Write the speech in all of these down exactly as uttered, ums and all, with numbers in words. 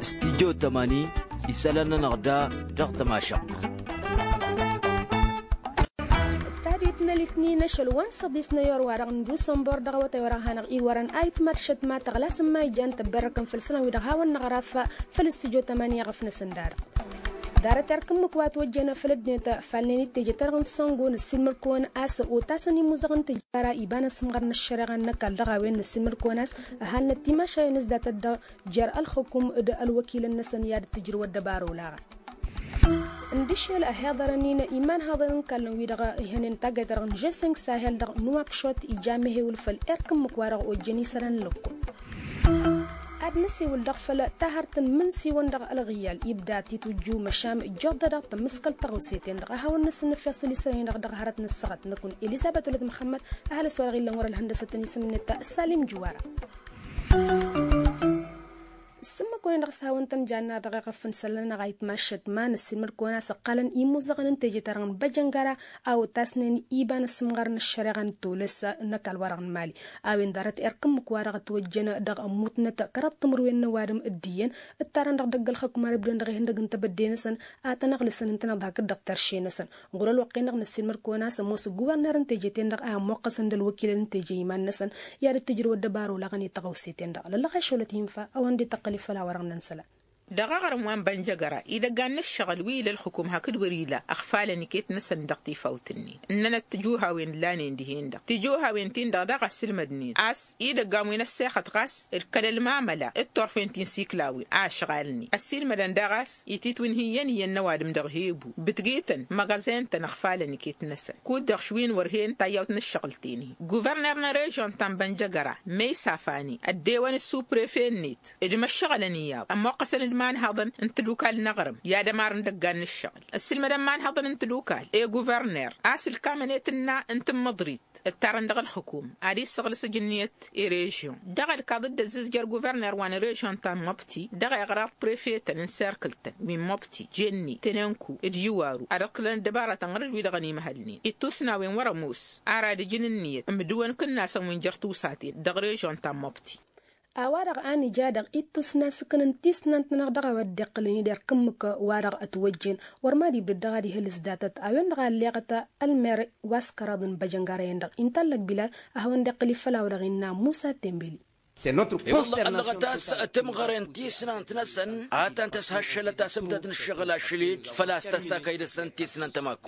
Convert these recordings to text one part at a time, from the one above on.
Studyo tămani isălan-nănăɣ da dăɣ-tămašăɣt. Tadit n-alitnin ašăl wa n-săḍis n-ayor wa dăɣ-n dusănbor dăɣ-awătay wa dăɣ-hanăɣ-iwărăn ayǝtmad šătma tăɣlas n-ma ijan tăbberrăkăn făll-isălan wi-dăɣ hawăn-năɣraf făll-studyo tămani iɣăf-năsăn da-dăɣ. Ḍarăt erk ǝmmǝk wa ătwăjjăn făll-ăddinăt falnen-dd teje-ta-dăɣ n-săngo năssiilmăd-kăwăn a-s otasăn imuzăɣăn tǝjjara iba n-asǝmɣar n-ăššăreɣa n-ăkall dăɣ-a-wen năssiilmăd-kăwăn a-s ăhalnăt timašayen s-datăt dăɣ-jer ălxǝkum d-ălwăkilăn-năsăn i-ad-dd-tǝjrǝw ăddăbara olaɣăn. Ǝndǝšel ăhiḍărăn-in imanhăḍăn n-kallăn wi-dăɣ ihănen taggayt-ta-dăɣ n-žeseng sahel dăɣ-nuwakšot ija mehewǝl făll-erk ǝmmǝk wa dăɣ-ojjăn isălan n-lăkkol. Ad-năsiwǝl dăɣ-făll-tahărt n-imǝnsiwăn dăɣ-ălɣiyyal ibda titwǝjju măšan ǝjjoḍ-dăɣ tămmǝskăl tăɣawse-ten-dăɣ a hawăn-năsǝnnǝfeɣ s-ălisălan-in-dăɣ dăɣ-hărăt n-ăssaɣăt năkkun elizăbet wălăt măxămmăd. Ăhalǝs wa dăɣ-illăn wăr-ălhăndăsăt n-isǝm-net salim juwara. Ǝssǝmmăk-wen-dăɣ s-hawăn-tăn-janna dăɣ-eɣăf n-isălan-năɣ a itmašăt ma năssiilmăd-kăwăn a-s ǝqqalăn imuzăɣăn n-teje-ta-dăɣ n-băjăngara a otasnen iba n-asǝmɣar n-ăššăreɣa n-tolăs n-ăkall-wa-dăɣ n-mali. A-wen ḍarăt erk ǝmmǝk-wa-dăɣ ătwăjjăn dăɣ-ămmutnăt kăraḍ timǝrwen n-ăwadǝm d-iyyăn ǝttarăn dăɣ-idăgg ălxăkum ar ǝbdǝn dăɣ-ihăndăg n-tebădde-năsăn ad-tăn-ăɣlǝsăn ǝntăneḍ hakd dăɣ-terše-năsăn. Ɣur-ălwăqq-en-dăɣ năssiilmăd-kăwăn a-s ămoos ăgguverner n-teje-ten-dăɣ a ămmoqqăsăn d-ălwăkilăn n-teje iman-năsăn i-ad-dd-tǝjrǝw ăddăbar olaɣăn i-tăɣawse-ten-dăɣ lăllăɣ ašăwălăt hinfa a-wen dd-tăqqăl ifăl a wărăɣ n-isălan. Dăɣ-aɣrǝm wa n-bănjăgăra idăggan n-ǝššăɣǝl wi ila ălxǝkum hakd wăr-ila ăɣfalăn iket-năsăn dăɣ-tifawt-nin ǝnnănăt tijuhawen lanen dihen-dăɣ tijuhawen-tin-dăɣ daɣ ăssiilmădnen a-s idăggan wi n-ăssexăt ɣas d-kăl-ălmamăla d-turfen ti n-siklawen a ăšɣalnen ăssiilmădăn daɣ a-s ititwǝnhǝyyăn iyyăn n-ăwadǝm dăɣ-hebu bǝtgităn măɣăzen-tăn ăɣfalăn iket-năsăn kud-dăɣ šwin wăr hen tayyawt n-ǝššăɣǝl-ten-hi. Guvărner n-režon ta n-bănjăgăra măysafani ăddewăn d-suprefe-net d-imăššăɣălăn iyyăḍ ămmoqqăsăn d-imanhăḍăn n-tadukal n-aɣrǝm i-ad-ămarăn idăggan n-ǝššăɣǝl ǝssǝlmădăn imanhăḍăn n-tadukal i-guvărner a-s ǝlkamăn i-tǝnna n-tǝmmǝḍrit ǝttarăn dăɣ-ălxǝkum ad-issăɣlǝs ǝjǝnniyăt i-režyon dăɣ-ălkaḍ dd-ăzzǝzjăr guvărner wa n-režyon ta n-mobti dăɣ-eɣraḍ prefetăn n-serkǝl-tăn wi n-mobti jenne tenănku d-iwaru ad-ǝḍkǝlăn ăddăbaratăn ɣur-dd-wi-dăɣ ănimhălnen ittusnawen wăr-ămoos ar ad-ǝjǝn ǝnniyăt ǝmdǝwăn kǝnnasăn wi n-jer-tusat-en dăɣ-režyon ta n-mobti. A-wa-dăɣ a nǝja dăɣ-ittusna s-ǝknăn tisnant-nănăɣ dăɣ-a-wa dd-iqqǝlăn-dd erk ǝmmǝk wa-dăɣ ătwăjjen wăr mad-ibdăd dăɣ-ad-ihǝl s-datăt a-wen-dăɣ a ălleɣăt ălmer wa s-kăraḍ n-băjăngara-en-dăɣ inta ăllăg bilal. A hawăn-dd-iqqǝl ifăl a-wa-dăɣ innă musa tembeli. I-wălla ăllăɣăt a-s timɣăren tisnant-năsăn a tăn-tăshăššălăt asǝbdăd n-ǝššăɣǝl ašăl-dd făl-a-s tăssakăy dăɣ-săn tisnant ămakk.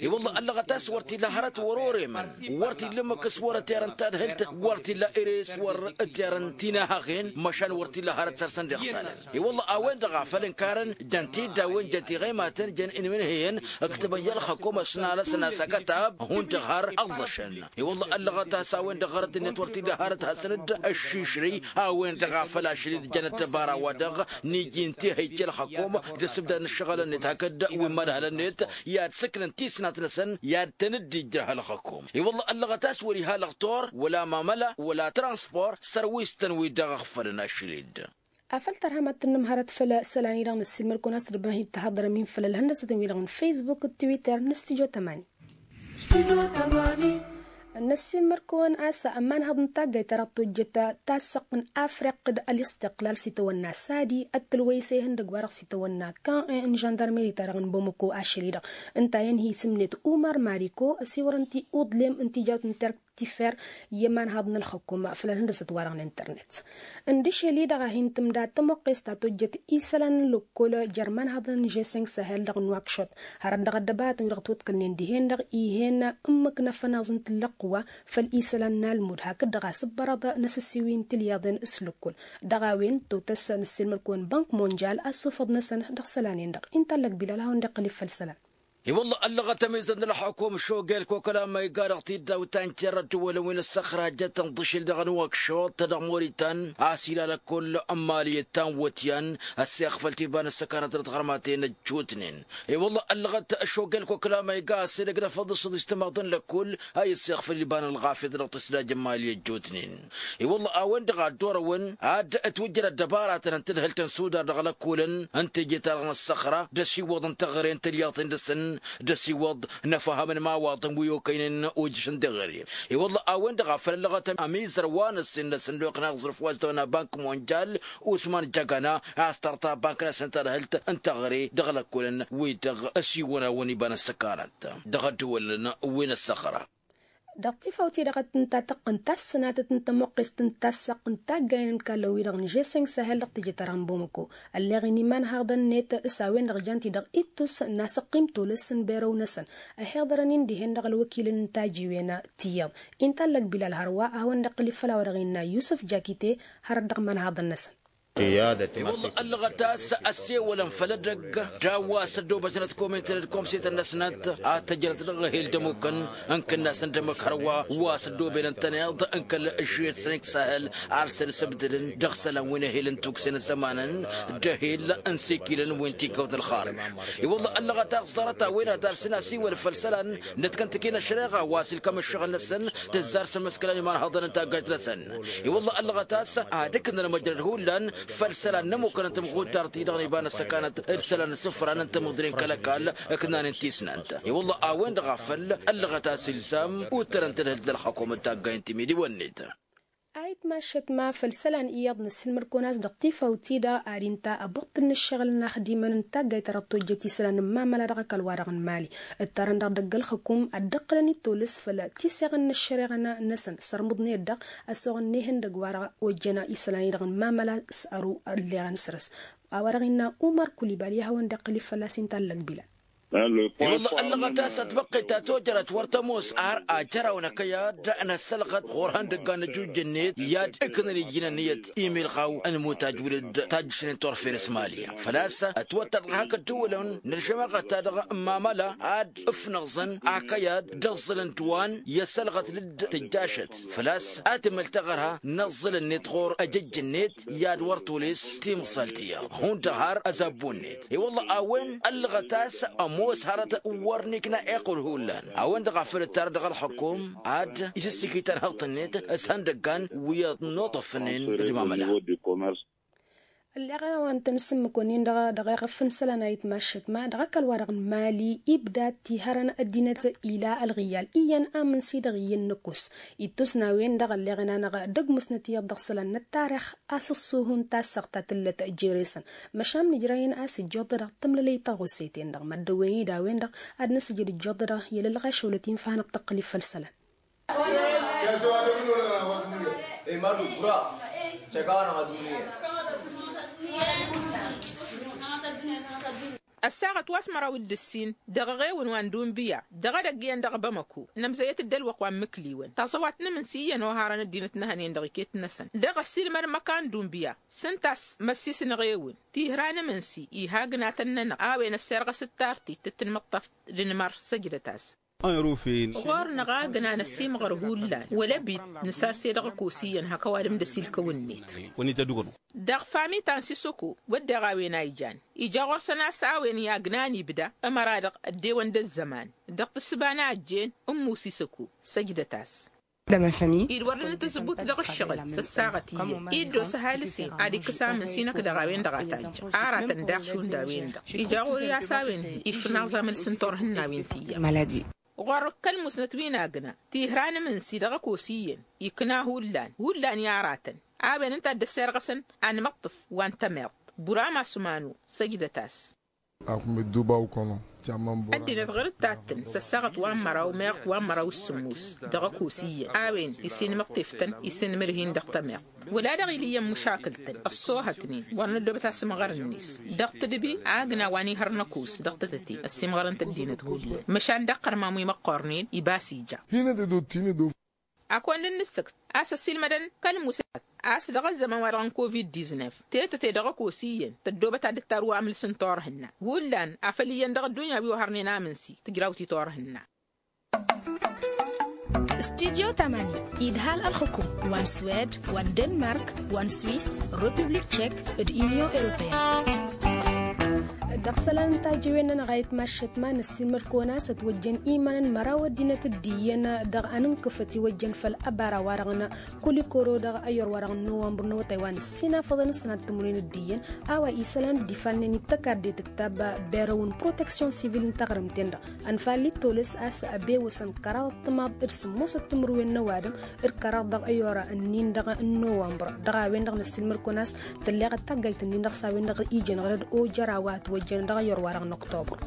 I-wălla ăllăɣăt a-s wăr t-illa hărăt wăr-oremăn wăr t-illa ǝmmǝk s-wăr ăterăn tadhǝlt wăr t-illa ere s-wăr ăterăn tinahăɣen măšan wăr t-illa hărăt săr-săn d-iɣsalăn. I-wălla a-wen-dăɣ a făl ǝnkarăn jăn tiddawen jăn tiɣăymatăn jăn inmǝnhǝyăn ǝktǝbăn i-ălxăkom ăsnalăsăn a-s akătab hundăɣ har ăḍḍăšăn. I-wălla ăllăɣăt a-s a-wen-dăɣ ɣărăt-net wăr t-illa hărăt hasăn-dd-ăššišrǝy a-wen-dăɣ a făl ašăl-dd jăn ăddăbara wa dăɣ-niji n-tihăyy ălxăkom d-asǝbdad n-ǝššăɣǝl-net hakd wi n-imădhălăn-net i-ad-sǝknăn tisnat-năsăn i-ad-tăn-dd-ijrăh ălxăkom. I-wălla ăllăɣăt a-s wăr-iha lăɣtor wăla mamăla wăla transpor sărwis-tăn wi dăɣ-ăɣfălăn ašăl-dd. Afăl tărhăm ad-tǝnnǝm hărăt făll-isălan-i-dăɣ năssiilmăd-kăwăn a-s tǝrbăhit tihăḍrăm-in făll-ălhăndăsăt-in-wi-dăɣ n-facebook d-twitter n-studyo tămani. Năssiilmăd-kăwăn a-s ămanhăḍ n-taggayt-ta-dăɣ tojjăt tassăɣt n-afriq d-ălistiqlal s-itawănna sadi ăttălwăy s-ehăndăgg-wa-dăɣ s-itawănna kan n-žăndarmeri-ta-dăɣ n-bamăko ašăl-i-dăɣ ǝnta a-wen hi-isǝmnet umăr mariko ăsiwărăn-t i-uḍlem n-tijawt n-terk tifer i-imanhăḍ n-ălxǝkum făll-ălhăndăsăt-wa-dăɣ n-internet. Ǝndǝšel-i-dăɣ a hin-tǝmda tămoqqest ta tojjăt isălan n-lăkkol jer-imanhăḍăn n-žeseng sahel dăɣ-nuwakšot hărăt dăɣ-ăddăbaratăn wi dăɣ-twăḍkălnen dihen-dăɣ ih'-en ǝmmǝk n-afănaẓ n-tǝllăqqǝwa făll-isălan n-almud hakd-dăɣ asǝbbărăḍ n-asǝssiwi n-tilyaḍen s-lăkkol. Dăɣ-a-wen totăs năssiilmăd-kăwăn bănk monjal asufăḍ-năsăn dăɣ-isălan-en-dăɣ inta ăllăg bilal a hawăn-dd-iqqǝl i-făll isălan. I-wălla ăllăɣăt ămizăt n-ălxukum šogel kokăl amăyga dăɣ-tiddaw ta n-kerrăt dd-wălăn wi n-ăssăxrajăt n-iḍǝšil dăɣ-nuwăkšuḍ dăɣ-moritan a-s ila lăkkol n-mali ăttan-wăt-yan ăssexfăl tiba n-ăssăkanăt dăɣ-tiɣărmaten ăjjootnen. I-wălla ăllăɣăt šogel kokăl amăyga a-s edăgg n-afăḍ d-săḍis timaḍ n-lăkkol a i-ăssexfăl iba n-ălɣafyăt dăɣ-tǝslaj n-mali ăjjootnen. I-wălla a-wen-dăɣ a dd-orăwăn ad-ătwǝjjăr ăddăbaratăn n-tadhǝlt n-sudar dăɣ-lăkkolăn n-teje-ta-dăɣ n-ăssăxra d-ăsiwwăḍ n-teɣăre n-tǝlyaḍten-dăɣ-săn. D-ăsiwăḍ n-afăhăm n-imawaḍăn wi okăynen ojăšăn deɣăre. I-wălla a-wen-dăɣ a făl ăllăɣăt ămizăr wa n-ăssin-năsăn d-okăynen aẓrǝf wa s-dăɣ-năbank monjal usman jagana a-s tărta bank-năsăn tadhǝlt n-teɣăre dăɣ-lăkkolăn wi-dăɣ ăsiwăn-awăn iba n-ăssăkanăt dăɣ-ăddăwălăn wi n-ăssăxra. Dăɣ-tifawt-i-dăɣ a t-ǝnta tăqqǝnt tassănatăt n-tămuqqest n-tassăɣt n-taggayen n-kallăn-wi-dăɣ n-žeseng sahel dăɣ-teje-ta-dăɣ n-bamako. Ălleɣ-in imanhaḍăn-net s-a-wen-dăɣ jan-t-i-dăɣ ittus n-asăqqi n-tolăs n-berăw-năsăn. Ăhiḍărăn-in dihen dăɣ-ălwăkilăn n-tajiwen tiyyăḍ. Inta ăllăg bilal hărwa a hawăn-dd-iqqǝl ifăl a-wa dăɣ-innă yusǝf jakite. Hărăt dăɣ-imanhaḍăn-năsăn. I-wălla ăllăɣăt a-s ăssewălăn făll-edăgg d-a-wa s-ăddoobătnăt komităn d-komsetăn-năsnăt ad-tăjrăt dăɣ-ehel d-ămmukăn n-kǝnnas n-dămmăk hărwa wa s-ăddoobelăn tăneḍ n-kăl-žeseng sahel. Arsăn s-ǝbdǝlăn dăɣ-isălan wi n-ehel n-tukse n-ăzzămanăn d-ehel n-sikilăn wi n-tikăwt n-ălxarǝj. I-wălla ăllăɣăt a-s ḍarăt a-wen ad-arsăn asiwăl făll-isălan n-ătkăntăken ăššăreɣa wa s-ilkăm ǝššăɣǝl-năsăn tǝzzar s-ămǝskălan imanhaḍăn n-taggajt-năsăn. I-wălla ăllăɣăt a-s ad-ǝknăn măjrăd hullan făll-isălan n-ămmukăn n-tamɣutar-ti-dăɣ n-iba n-ăssăkanăt d-isălan n-isǝfran n-tamǝḍre n-kăl-ăkall ǝknanen tisnant. I-wălla a-wen-dăɣ a făl ăllăɣăt a-s ilzam uttărăn tadhǝlt d-ălxakum d-taggayen timiliwăn-net. Ayǝtmašăt ma făll-isălan iyyăḍ n-asǝlmăd-kăwăn a-s dăɣ-tifawt-i-dăɣ ad-inta ăbuṭṭǝl n-ǝššăɣǝl n-inaxdimăn n-taggayt ta dăɣ-tojjăt isălan n-imamăla dăɣ-ăkall-wa-dăɣ n-imali. Ǝttarăn dăɣ-dăgg-ălxǝkum ad-dd-ǝqqǝlăn i-tolǝs făll-tiseɣăn n-ăššăreɣa-năsăn sărmǝḍnen-dăɣ ăsoɣăn n-ehăndăgg wa-dăɣ ojjăn isălan-i-dăɣ n-imamăla s-ăru ălleɣăn săr-s. A-wa-dăɣ innă umăr kulibali a hawăn-dd-iqqǝl-i fălla-s inta ăllăg bilal. I-wălla ăllăɣăt a-s ătbăqqet ta tojărăt wăr tămoos ar ajăraw n-akăyad n-ăssălɣăt ɣur-ihăndăggan n-ăjujj-net i-ad-ǝknăn iji n-ănniyăt imilɣaw n-imutaj wǝlǝd tajjǝšnen turfen s-mali. Făl-a-s ătwăttăr dăɣ-hak ăddăwălăn n-ălžămaɣăt-ta-dăɣ n-imamăla ad-ǝfnăẓăn akăyad d-aẓẓǝlăn d-wa n-i-ăssălɣăt lǝdd tǝjjašăt. Făl-a-s ad-tǝmăl taɣărha n-aẓẓǝl-net ɣur-ăjăjj-net i-ad-wăr tolǝs timẓalt iyyăḍ hundăɣ har ăzabbu-net. I-wălla a-wen ăllăɣăt a-s ămoos hărăt wăr n-ikna iqqǝl hullan a-wen-dăɣ a făl ǝttarăt dăɣ-ălxǝkum ad-isǝssǝkităn hăḍt-net s-ihăndăggan wi ănnuṭăfnen d-imamăla. Ălleɣ a-wa n-tăn-sǝmmǝk-wăn-in-dăɣ dăɣ-eɣăf n-isălan a itmaššăt ma dăɣ-ăkall-wa-dăɣ n-mali ibda t-ihărăn ăddinăt ila ălɣiyyal iyyăn amǝnsi dăɣ-iyyăn n-ăkkus. Ittus n-a-wen-dăɣ ălleɣen-anăɣ d-ăgg musnăt iyyăḍ dăɣ-isălan n-ăttarix a-s ăṣṣuhu n-tassăɣt ta tǝllăt jere-săn. Măšan nǝjrăyăn a-s ǝjjoḍădăɣ tămlălăy taɣusse-ten-dăɣ măddăwen-i d-a-wen-dăɣ ad-năsǝjăd ǝjjoḍădăɣ i-lălɣašăwlăt-in făhănăɣ tăqqǝl-i făll-isălan. Ăssaɣăt wa s-măraw d-ǝssin dăɣ-eɣewăn wa n-dunbiya dăɣ-edăgg iyyăn dăɣ-bamăko. Nămzăyăt-dd ălwăqq wa n-imǝkliwăn taẓăwat n-amǝnsi iyyăn oharăn ăddinăt n-ehăn-en-dăɣ iket-năsăn dăɣ-ăssiilmăd n-imăkan dunbiya. S-ǝnta a-s măssis n-eɣewăn tihra n-amǝnsi iha ǝgnatăn-nănăɣ a-wen ăssirɣăs d-tartit d-tinmǝṭṭaft d-inmăr săjdăt-as. Ɣur-năɣ a ǝgnan ăsimɣăr hullan wăla bit nǝsase dăɣ-ăkos iyyăn hak ăwadǝm d-ăsilkăw-net. Dăɣ-fami ta n-sisăko wădden a-wen a ijan ija ɣur-săn a-s a-wen i-agnan ibda ămăra-dăɣ ăddewăn d-ăzzăman dăɣ-tǝssǝba n-a ăjjeen. Ǝmmu sisăko săjdăt-as. Id-wăr nǝnǝtǝzbut dăɣ-ǝššăɣǝl s-ăssaɣăt iyyăn iddos ăhalǝs-en ad-ikkǝs amǝnsi-năk dăɣ-a-wen-dăɣ a tajjăɣ aratăn daɣ šund a-wen-dăɣ ija ɣur-i a-s a-wen ifnaẓ amǝls n-turhǝnnawen tiyyăḍ. Ɣur-kăl-musnăt wi n-agna tihra n-amǝnsi dăɣ-ăkos iyyăn ikna hullan hullan i-aratăn. A-wen ǝnta a dd-ăssirɣăsăn anmăṭṭǝf wa n-tămiḍt. Burama s-umanu săjdăt-as. Ăddinăt ɣur-ǝttattăn s-ăssaɣăt wa n-măraw meɣ wa n-măraw s-sǝmmus dăɣ-ăkos iyyăn a-wen isinmăṭṭef-tăn isinmǝrhin dăɣ-tămiḍt. Wăla dăɣ-ila iyyăn măšakǝl-tăn ăṣṣoohătnen wăr năddoobăt asǝmɣăr-net dăɣ-tǝdbi agna wa n-ihăr n-ăkos dăɣ-tătăte ăsimɣărăn-t ăddinăt hullan măšan dăɣ-iqqărmam wi măqqornen ibas ija. Hinăt dd-odd hinăt dd-odd. Ak-wăn dd-nǝssǝkt a-s ăsiilmădăn kăl-musăyăt a-s dăɣ-ăzzăman-wa-dăɣ n-covid-diznef tetăte dăɣ-ăkos iyyăn tăddoobăt ad-dd-tarǝw amǝls n-turhǝnna hullan a făl iyyăn dăɣ-ăddunya wi ohărnen amǝnsi tǝjraw ti-turhǝnna. Studyo tamani idhal ălxǝkum wa n-swed wa n-denmark wa n-swis, republik tchek d-inyon europeyăn. Dăɣ-isălan n-tajǝwen-nănăɣ a itmaššăt ma năssiilmăd-kăwăn a-s ătwăjjăn iman n-măraw ăddinăt d-iyyăn dăɣ-anǝnkǝf ătiwăjjăn făll-ăbara-wa-dăɣ n-kulikoro dăɣ-ăyyor wa-dăɣ n-nowămbăr n-awătay wa n-ǝssin afăḍăn s-sănat timǝrwen d-iyyăn. A-wa isălan dd-ifalnen i-tăkarde tǝktab berăw n-proteksyon sivil n-taɣrǝmt-en-dăɣ ănfalli tolăs a-s ăbewăsăn kăraḍăt timaḍ d-sǝmmosăt timǝrwen n-ăwadǝm d-kăraḍ dăɣ-ăyyor-ǝnnin-dăɣ n-nowămbăr. Dăɣ-a-wen-dăɣ năssiilmăd-kăwăn a-s tălleɣăt taggayt-nin-dăɣ s-a-wen-dăɣ ijăn ɣărăd ojăra wa ătwăjjăn dăɣ-ăyyor-wa-dăɣ n-oktobăr.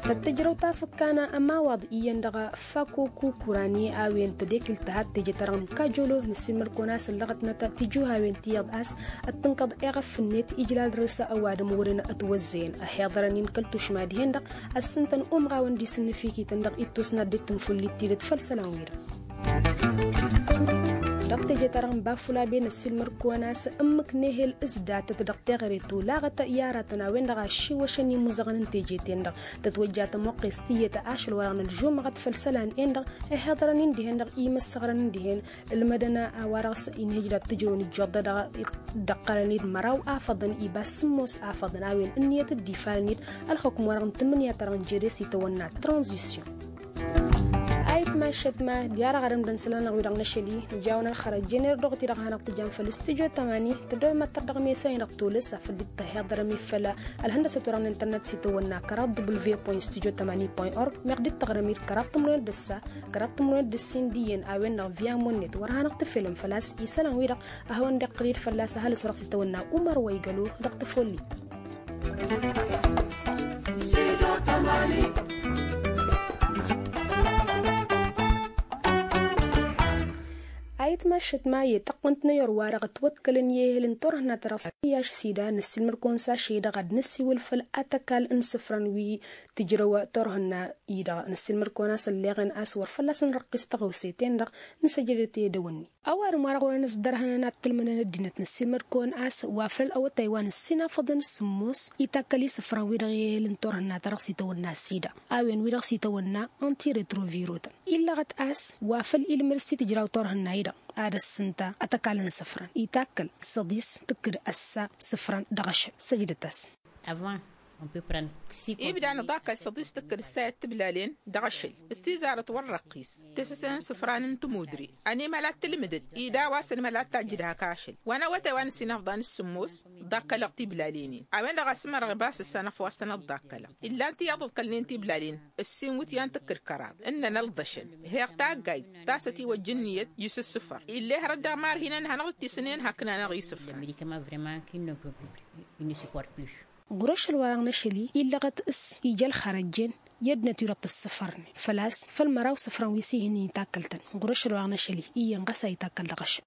Tăt-tǝjrăw tafǝkka n-ămawaḍ iyyăn dăɣ-fako kukurani a-wen tădekǝlt tăhat teje-ta-dăɣ n-kajolo năssiilmăd-kăwăn a-s ăllăɣătnăt tijuhawen ti iyyăḍ a-s ăttǝnkăḍ eɣăf-net ijlal dăr-s ăwadǝm wăren ătwăzzăyăn ăhiḍărăn-in kăl-tušma dihen-dăɣ ăssintăn umɣawăn d-isǝnnǝfikităn dăɣ-ittus n-ad-dd-tǝnfullit tidǝt făll-isălan-wi-dăɣ. Dăɣ-teje-ta-dăɣ n-bafulabe năssiilmăd-kăwăn a-s ǝmmǝk n-ehel s-datăt dăɣ-teɣăre tolaɣăt i-aratăn a-wen-dăɣ a ăššiwăšăn imuzăɣăn n-teje-ten-dăɣ tătwăjja tămoqqes tiyyăt ašăl wa-dăɣ n-ălžumăɣăt făll-isălan-en-dăɣ. Ăhiḍărăn-in dihen-dăɣ imǝssăɣrăn-in dihen ǝlmădăn a-wa-dăɣ s-inhǝj dăɣ-tǝjrăwăn ǝjjoḍ-dăɣ dăɣ-dd-ǝqqălăn-dd măraw afăḍăn iba s-sǝmmos afăḍăn a-wen ǝnniyăt dd-ifalăn-dd ălxukǝm-wa-dăɣ n-tǝmmǝnǝya-ta-dăɣ n-jere s-itawănna tranzisyon. Ayǝtmašăt ma diya-dăɣ arǝmdăn isălan-năɣ wi-dăɣ n-ašăl-i nǝjawăn ălxărăt jener dăɣ-ti-dăɣ hanăɣ-tǝjam făll-studyo tămani tăddomăttăr dăɣ-mesa-i-dăɣ tolăs afăl dd-tăhiḍărăm-i făll-ălhăndăsăt-wa-dăɣ n-internet s-itawănna kăraḍ w point studyo tămani point org meɣ dd-tăɣrăm-i d-kăraḍ tǝmrăwen d-ăssa kăraḍ tǝmrăwen d-ăssin d-iyyăn a-wen-dăɣ via monnet wăr hanăɣ-tǝfel n-făl-a-s isălan-wi-dăɣ a hawăn-dd-iqqǝl-dd fălla-s ăhalǝs wa dăɣ-s itawănna umăr wa igălo dăɣ-tafulli. Ayǝtmašăt ma i-tăqqǝnt n-ayor wa dăɣ-ătwăḍkălăn i-ehel n-turhǝnna ta dăɣ-s iyaš sida năssiilmăd-kăwăn s-ašăl-i-dăɣ ad-năsiwǝl făll-atăkal n-isǝfran wi tǝjrăw turhǝnna-i-dăɣ năssiilmăd-kăwăn a-s ălleɣăn a-s wăr fălla-s nărrăqqis tăɣawse-ten-dăɣ. Nǝsăjdăt i-dăwănni ăwadǝm wa dăɣ-wărăn s-dărhănăn ad-tǝlmǝnăn ăddinăt năssiilmăd-kăwăn a-s wa făl awătay wa n-ǝssin afăḍăn s-sǝmmos itakkăl isǝfran wi-dăɣ i-ehel n-turhǝnna ta dăɣ-s itawănna sida a-wen wi-dăɣ s-itawănna antiretrovirotăn illăɣăt a-s wa făl ilmǝd s-itǝjraw turhǝnna-i-dăɣ ad-ăssǝnta atăkal n-isǝfran itakkăl săḍis tǝkkǝd ăssa isǝfran dăɣ-ašăl săjdăt-as. Avant on peut prendre six ibda nǝḍakkăl săḍis tǝkkǝd ǝssayăt tiblalen dăɣ-ašăl s-tizarăt wăr răqqis tesăsen isǝfran n-tămudre. Ănimăl ad-tǝlmǝdăd ida wa s-ănimăl ad-tajjǝd hak ašăl wa n-awătay wa n-ǝssin afḍan s-sǝmmos ḍakkălăɣ tiblalen-in a-wen-dăɣ a-s ǝmărăɣ ibas ǝssan ăfwas tăn-ăḍḍakkălăɣ. Illan tiyyăḍ ǝḍkălnen tiblalen ǝssin wǝtyan tǝkkǝd kăraḍ ǝnnăn ălḍăšăn heɣ taggayt ta s-ătiwăjja ǝnniyăt. Jǝs ǝssǝfăr ill'-e hărăt daɣ marhinăn hanăɣ-dd-tisǝnen haknan aɣisǝfran. Ɣur-ašăl wa dăɣ-năšăl-i illăɣăt s-ija ălxărăjjen i-ăddinăt wi-dăɣ tǝssǝfărnen făl-a-s făll-măraw isǝfran wi s-ihǝnnin itakkăl-tăn. Ɣur-ašăl wa dăɣ-năšăl-i iyyăn ɣas a itakkăl dăɣ-ašăl.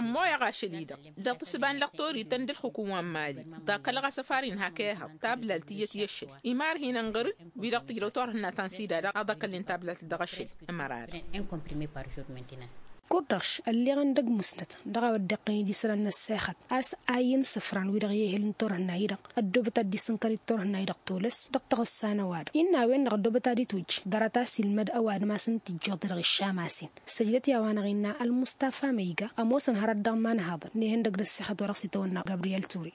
Ămmoyăɣ ašăl-i-dăɣ dăɣ-tǝssǝba n-lăqtorităn d-ǝlxǝkǝm wa n-mali ḍakkălăɣ asăfar-in hak ehăḍ tablat tiyyăt i-ašăl. Imarhinăn ɣăr-dd wi-dăɣ tǝjrăw turhǝnna-tan sida-dăɣ a ḍakkălnen tablat dăɣ-ašăl. Ămăra-dăɣ. Kud-dăɣ š-ălleɣăn d-ăgg musnăt dăɣ-a-wa dd-iqqăyăn iji isălan n-ăssexăt a-s ayǝn isǝfran wi-dăɣ i-ehel n-turhǝnna-i-dăɣ ăddoobăt ad-dd-isǝnkăr i-turhǝnna-i-dăɣ tolăs dăɣ-taɣǝssa n-ăwadǝm. Innă a-wen-dăɣ ăddoobăt ad-itwǝjj ḍarăt a-s ilmăd ăwadǝm a-s ǝnta ijjuḍ-i-dăɣ iššam a-s-in. Săjdăt i-a-wa-năɣ innă ălmustafa măyga ămoosăn hărăt dăɣ-imanhaḍăn n-ehăndăg d-ăssexăt wa dăɣ-s itawănna gabriyel ture.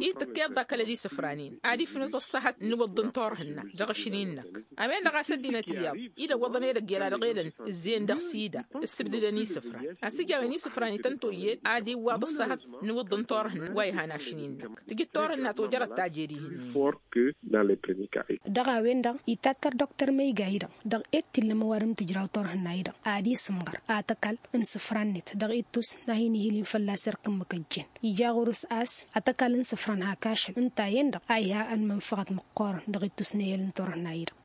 Itǝkkeḍ ḍakkălăd isǝfran-in ad-ifnǝẓ ăṣṣăhăt n-iwǝḍḍǝn turhǝnna dăɣ-ašăl-in-năk. A-wen-dăɣ a-s ăddinăt iyyăḍ idăwwăḍăn edăgg i-ăra dăɣ-edăn ǝzzeyăn dăɣ-sida ǝssǝbdǝdăn isǝfran. Ăsijawăn isǝfran ităn toyyed ad-iwwaḍ ăṣṣăhăt n-iwǝḍḍǝn turhǝnna wa ihan ašăl-in-năk tǝjǝd turhǝnna tojărăt taje dihen. Dăɣ-a-wen-dăɣ itattăr dr măyga-i-dăɣ dăɣ-e d t-illăm ăwadǝm tǝjraw turhǝnna-i-dăɣ ad-isǝmɣăr atăkall n-isǝfran-net dăɣ-ittus n-ad-hin-ihǝlin fălla-s erk ǝmmǝk ăjjeen. Ija ɣur-s a-s atăkall n-isǝfran hak ašăl ǝnta a-en-dăɣ a iha ănmănfăɣăt măqqoorăn dăɣ-ittus n-ehel n-turhǝnna-i-dăɣ.